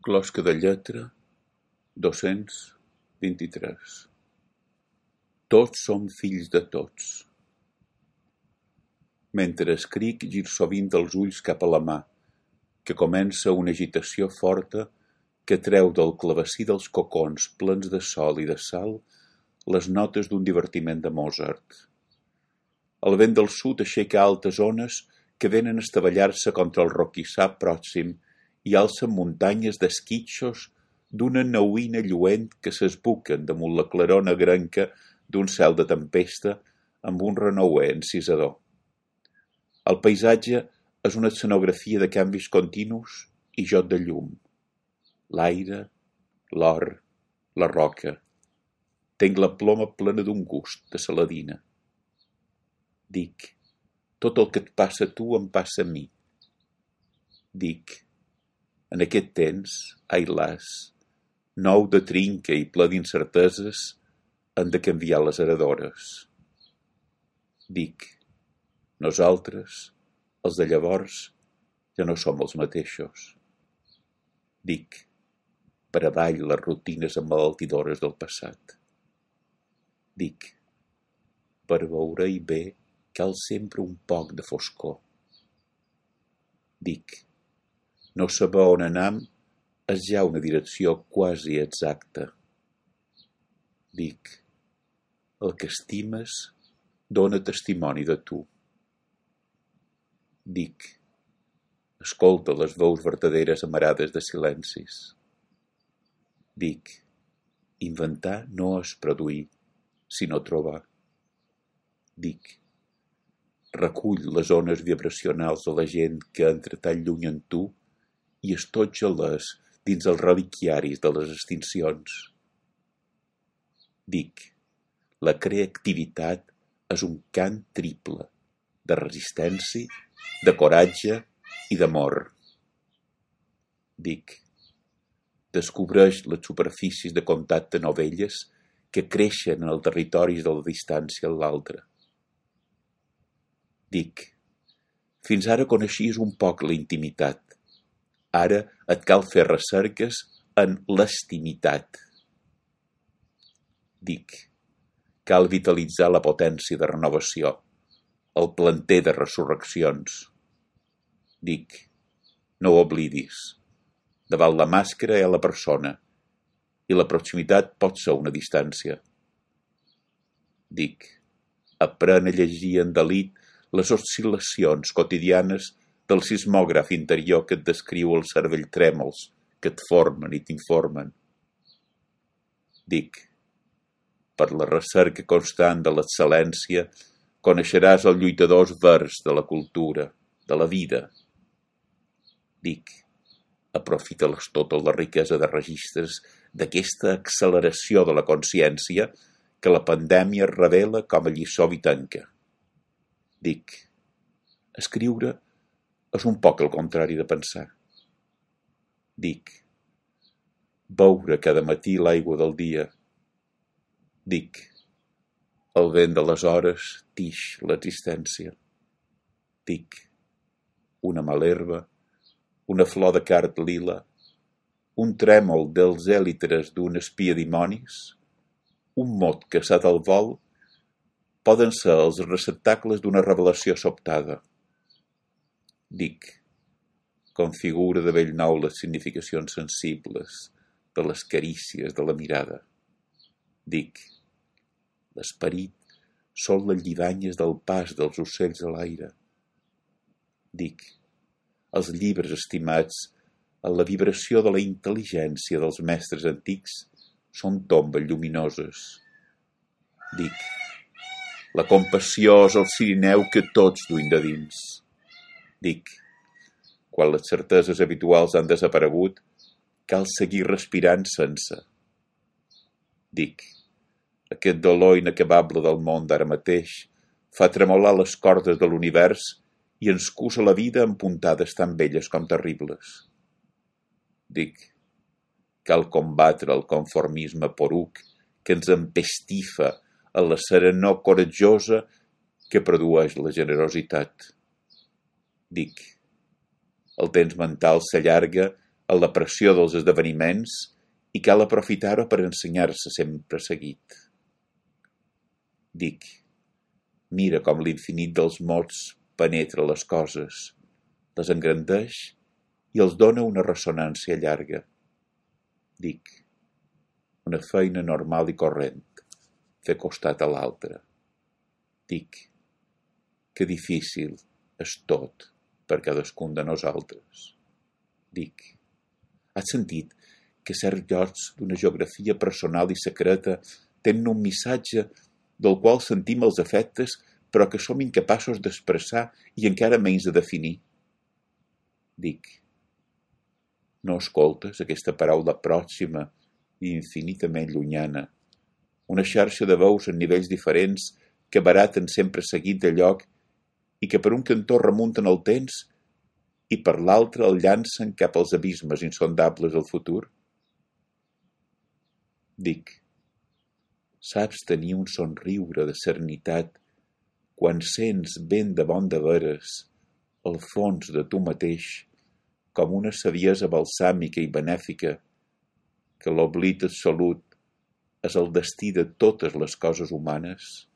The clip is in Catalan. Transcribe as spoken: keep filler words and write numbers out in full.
Closca de lletra, dos-cents vint-i-tres. Tots som fills de tots. Mentre escric, gir sovint els ulls cap a la mà, que comença una agitació forta que treu del clavecí dels cocons plens de sol i de sal les notes d'un divertiment de Mozart. El vent del sud aixeca altes ones que venen a estavellar-se contra el roquissar pròxim i alcen muntanyes d'esquitxos d'una nauïna lluent que s'esbuquen damunt la claror negrenca d'un cel de tempesta amb un renouer encisador. El paisatge és una escenografia de canvis continus i joc de llum. L'aire, l'or, la roca. Tenc la ploma plena d'un gust de saladina. Dic, tot el que et passa a tu em passa a mi. Dic, en aquest temps, ai las, nou de trinca i ple d'incerteses, han de canviar les heredores. Dic, nosaltres, els de llavors, ja no som els mateixos. Dic, per avall les rutines emmalaltidores del passat. Dic, per veure-hi bé cal sempre un poc de foscor. Dic, no saber on anam és ja una direcció quasi exacta. Dic, el que estimes dona testimoni de tu. Dic, escolta les veus vertaderes amarades de silencis. Dic, inventar no és produir, sinó trobar. Dic, recull les ones vibracionals de la gent que entra tan lluny en tu i estotja-les dins els reliquiaris de les extincions. Dic, la creativitat és un cant triple de resistència, de coratge i d'amor. Dic, descobreix les superfícies de contacte novelles que creixen en els territoris de la distància a l'altre. Dic, fins ara coneixies un poc la intimitat. Ara et cal fer recerques en l'estimitat. Dic, cal vitalitzar la potència de renovació, el planter de resurreccions. Dic, no ho oblidis. Davant la màscara hi ha la persona, i la proximitat pot ser una distància. Dic, aprèn a llegir en delit les oscil·lacions quotidianes del sismògraf interior que et descriu el cervell trèmols, que et formen i t'informen. Dic, per la recerca constant de l'excel·lència, coneixeràs els lluitadors verds de la cultura, de la vida. Dic, aprofita-les tota la riquesa de registres d'aquesta acceleració de la consciència que la pandèmia revela com a lliçó vitanca. Dic, escriure és un poc el contrari de pensar. Dic, beure cada matí l'aigua del dia. Dic, el vent de les hores tix l'existència. Dic, una malherba, una flor de card lila, un trèmol dels èlitres d'un espia dimonis, un mot caçat al vol, poden ser els receptacles d'una revelació sobtada. Dic, configura de bell nou les significacions sensibles de les carícies de la mirada. Dic, l'esperit són les lliganyes del pas dels ocells a l'aire. Dic, els llibres estimats en la vibració de la intel·ligència dels mestres antics són tombes lluminoses. Dic, la compassió és el cirineu que tots duim de dins. Dic, quan les certeses habituals han desaparegut, cal seguir respirant sense. Dic, aquest dolor inacabable del món d'ara mateix fa tremolar les cordes de l'univers i ens cusa la vida amb puntades tan belles com terribles. Dic, cal combatre el conformisme poruc que ens empestifa a la serenor coratjosa que produeix la generositat. Dic, el temps mental s'allarga a la pressió dels esdeveniments i cal aprofitar-ho per ensenyar-se sempre seguit. Dic, mira com l'infinit dels mots penetra les coses, les engrandeix i els dona una ressonància llarga. Dic, una feina normal i corrent, fer costat a l'altre. Dic, que difícil és tot per cadascun de nosaltres. Dic, has sentit que certs llocs d'una geografia personal i secreta tenen un missatge del qual sentim els efectes però que som incapaços d'expressar i encara menys de definir? Dic, no escoltes aquesta paraula pròxima i infinitament llunyana, una xarxa de veus en nivells diferents que baraten sempre seguit de lloc i que per un cantó remunten el temps i per l'altre el llancen cap als abismes insondables del futur? Dic, saps tenir un somriure de serenitat quan sents ben de bon de veres al fons de tu mateix com una saviesa balsàmica i benèfica que l'oblit absolut és el destí de totes les coses humanes?